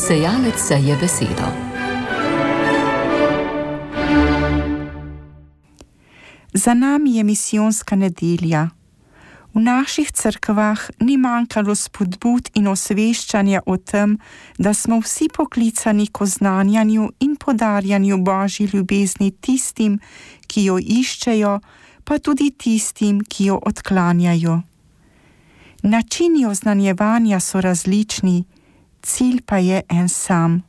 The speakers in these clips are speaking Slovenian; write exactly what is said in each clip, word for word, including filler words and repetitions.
Sejalec seje besedo. Za nami je misijonska nedelja. V naših cerkvah ni manjkalo spodbud in osveščanja o tem, da smo vsi poklicani k oznanjanju in podarjanju Božji ljubezni tistim, ki jo iščejo, pa tudi tistim, ki jo odklanjajo. Načini oznanjevanja so različni, cilj pa je en sam,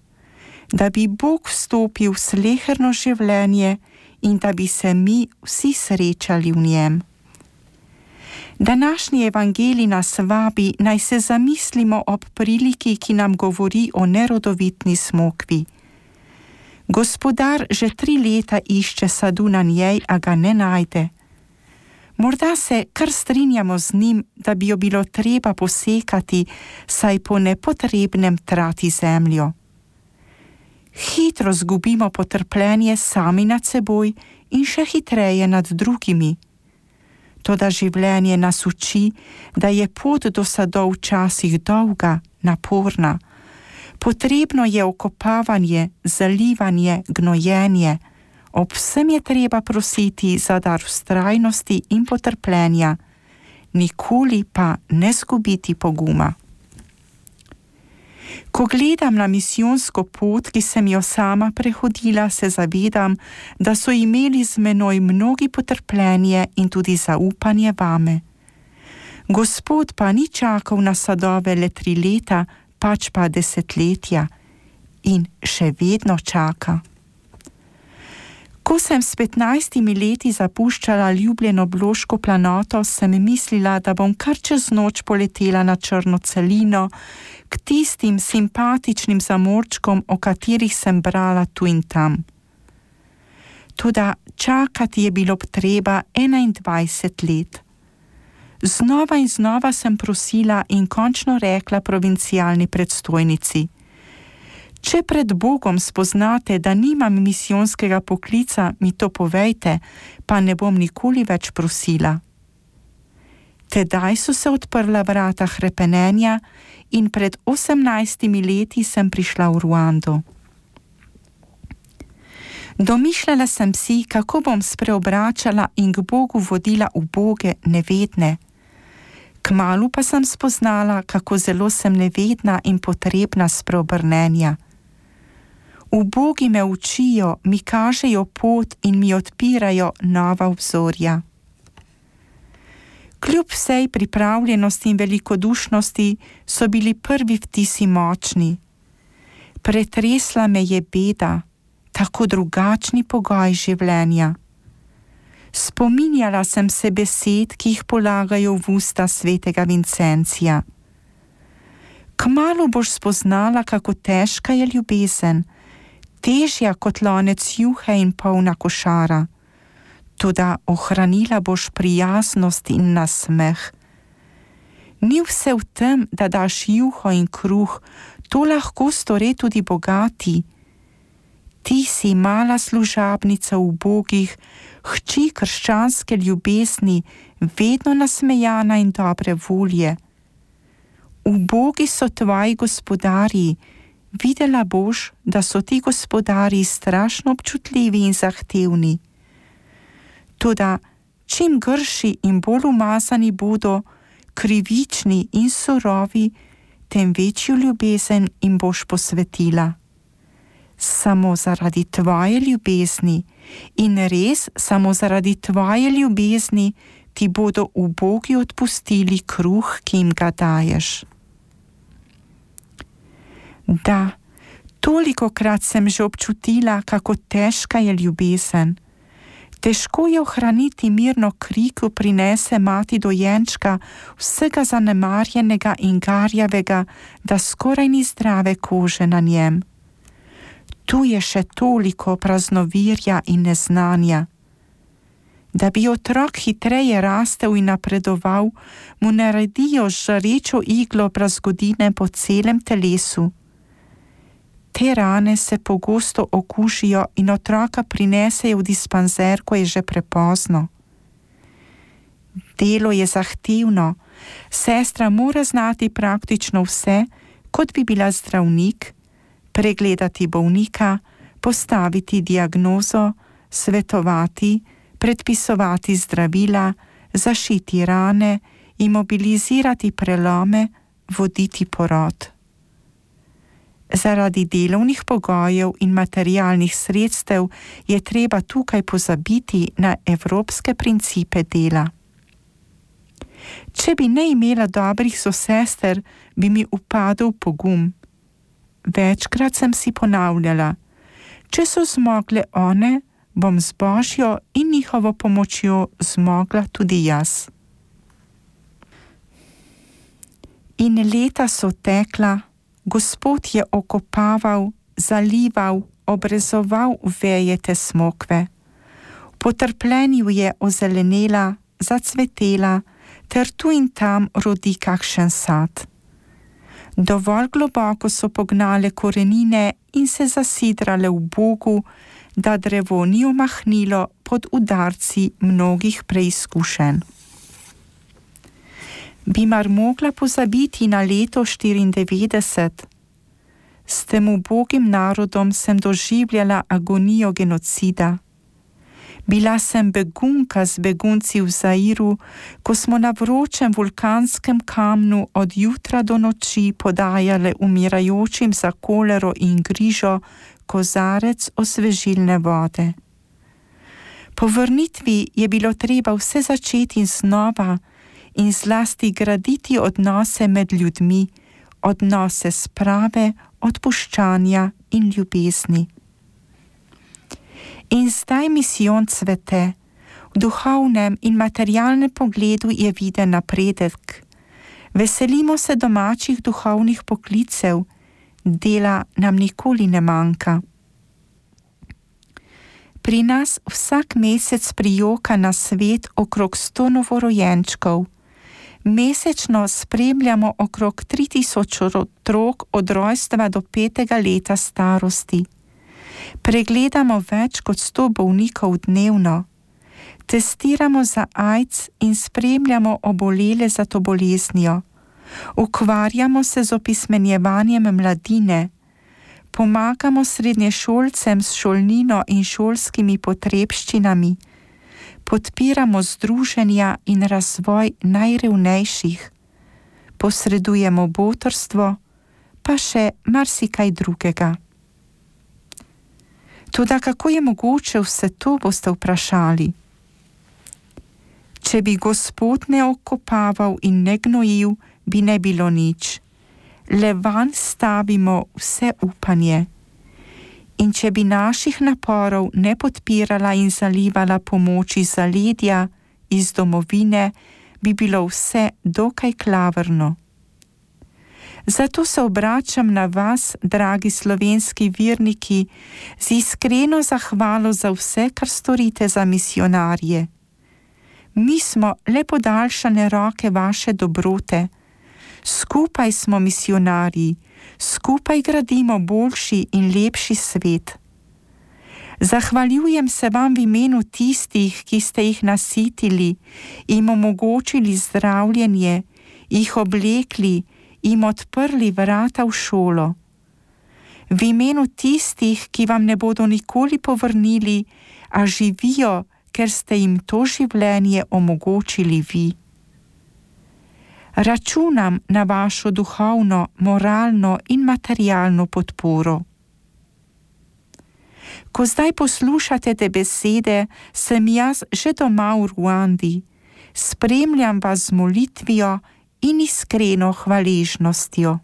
da bi Bog vstopil v sleherno življenje in da bi se mi vsi srečali v njem. Današnji evangelij nas vabi, naj se zamislimo ob priliki, ki nam govori o nerodovitni smokvi. Gospodar že tri leta išče sadu na njej, a ga ne najde. Morda se kar strinjamo z njim, da bi jo bilo treba posekati, saj po nepotrebnem trati zemljo. Hitro zgubimo potrpljenje sami nad seboj in še hitreje nad drugimi. Toda življenje nas uči, da je pot do sadov včasih dolga, naporna. Potrebno je okopavanje, zalivanje, gnojenje. Ob vsem je treba prositi za dar vztrajnosti in potrpljenja, nikoli pa ne zgubiti poguma. Ko gledam na misijonsko pot, ki sem jo sama prehodila, se zavedam, da so imeli z menoj mnogi potrpljenje in tudi zaupanje vame. Gospod pa ni čakal na sadove le tri leta, pač pa desetletja in še vedno čaka. Ko sem s petnajstimi leti zapuščala ljubljeno Bloško planoto, sem mislila, da bom kar čez noč poletela na črno celino, k tistim simpatičnim zamorčkom, o katerih sem brala tu in tam. Toda čakati je bilo treba enaindvajset let. Znova in znova sem prosila in končno rekla provincialni predstojnici: Če pred Bogom spoznate, da nimam misijonskega poklica, mi to povejte, pa ne bom nikoli več prosila. Tedaj so se odprla vrata hrepenenja in pred osemnajstimi leti sem prišla v Ruando. Domišljala sem si, kako bom spreobračala in k Bogu vodila uboge, nevedne. Kmalu pa sem spoznala, kako zelo sem nevedna in potrebna spreobrnenja. Ubogi me učijo, mi kažejo pot in mi odpirajo nova obzorja. Kljub vsej pripravljenosti in velikodušnosti so bili prvi vtisi močni. Pretresla me je beda, tako drugačni pogoj življenja. Spominjala sem se besed, ki jih polagajo v usta svetega Vincencija. Kmalu boš spoznala, kako težka je ljubezen, težja kot lonec juhe in polna košara. Toda ohranila boš prijaznost in nasmeh. Ni vse v tem, da daš juho in kruh, to lahko stori tudi bogati. Ti si mala služabnica ubogih, hči krščanske ljubezni, vedno nasmejana in dobre volje. Ubogi so tvoji gospodarji, videla boš, da so ti gospodarji strašno občutljivi in zahtevni. Toda čim grši in bolj umazani bodo, krivični in surovi, tem večjo ljubezen jim boš posvetila. Samo zaradi tvoje ljubezni in res samo zaradi tvoje ljubezni ti bodo ubogi odpustili kruh, ki jim ga daješ. Da, tolikokrat sem že občutila, kako težka je ljubezen. Težko je ohraniti mirno kri, ko prinese mati dojenčka, vsega zanemarjenega in garjavega, da skoraj ni zdrave kože na njem. Tu je še toliko praznovirja in neznanja. Da bi otrok hitreje rastel in napredoval, mu naredijo žarečo iglo brazgodine po celem telesu. Te rane se pogosto okužijo in otroka prinesejo v dispanzer, ko je že prepozno. Delo je zahtevno, sestra mora znati praktično vse, kot bi bila zdravnik, pregledati bolnika, postaviti diagnozo, svetovati, predpisovati zdravila, zašiti rane, imobilizirati prelome, voditi porod. Zaradi delovnih pogojev in materialnih sredstev je treba tukaj pozabiti na evropske principe dela. Če bi ne imela dobrih sosester, bi mi upadel pogum. Večkrat sem si ponavljala, če so zmogle one, bom z Božjo in njihovo pomočjo zmogla tudi jaz. In leta so tekla, Gospod je okopaval, zalival, obrezoval veje te smokve. V potrpljenju je ozelenela, zacvetela, ter tu in tam rodi kakšen sad. Dovolj globoko so pognale korenine in se zasidrale v Bogu, da drevo ni omahnilo pod udarci mnogih preizkušenj. Bi mar mogla pozabiti na leto štiriindevetdeset? S tem ubogim narodom sem doživljala agonijo genocida. Bila sem begunka z begunci v Zairu, ko smo na vročem vulkanskem kamnu od jutra do noči podajale umirajočim za kolero in grižo kozarec osvežilne vode. Po vrnitvi je bilo treba vse začeti znova in zlasti graditi odnose med ljudmi, odnose sprave, odpuščanja in ljubezni. In zdaj misijon cvete, v duhovnem in materialnem pogledu je viden napredek. Veselimo se domačih duhovnih poklicev, dela nam nikoli ne manjka. Pri nas vsak mesec prijoka na svet okrog sto novorojenčkov. Mesečno spremljamo okrog tri tisoč otrok od rojstva do petega leta starosti. Pregledamo več kot sto bolnikov dnevno. Testiramo za AIDS in spremljamo obolele za to boleznijo. Ukvarjamo se z opismenjevanjem mladine. Pomagamo srednješolcem s šolnino in šolskimi potrebščinami. Podpiramo združenja in razvoj najrevnejših. Posredujemo botrstvo, pa še marsikaj drugega. Toda kako je mogoče vse to, boste vprašali? Če bi Gospod ne okopaval in ne gnojil, bi ne bilo nič. Le vanj stavimo vse upanje. In če bi naših naporov ne podpirala in zalivala pomoč iz zaledja, iz domovine, bi bilo vse dokaj klavrno. Zato se obračam na vas, dragi slovenski verniki, z iskreno zahvalo za vse, kar storite za misijonarje. Mi smo le podaljšane roke vaše dobrote. Skupaj smo misijonarji, skupaj gradimo boljši in lepši svet. Zahvaljujem se vam v imenu tistih, ki ste jih nasitili, jim omogočili zdravljenje, jih oblekli, jim odprli vrata v šolo. V imenu tistih, ki vam ne bodo nikoli povrnili, a živijo, ker ste jim to življenje omogočili vi. Računam na vašo duhovno, moralno in materialno podporo. Ko zdaj poslušate te besede, sem jaz že doma v Ruandi. Spremljam vas z molitvijo in iskreno hvaležnostjo.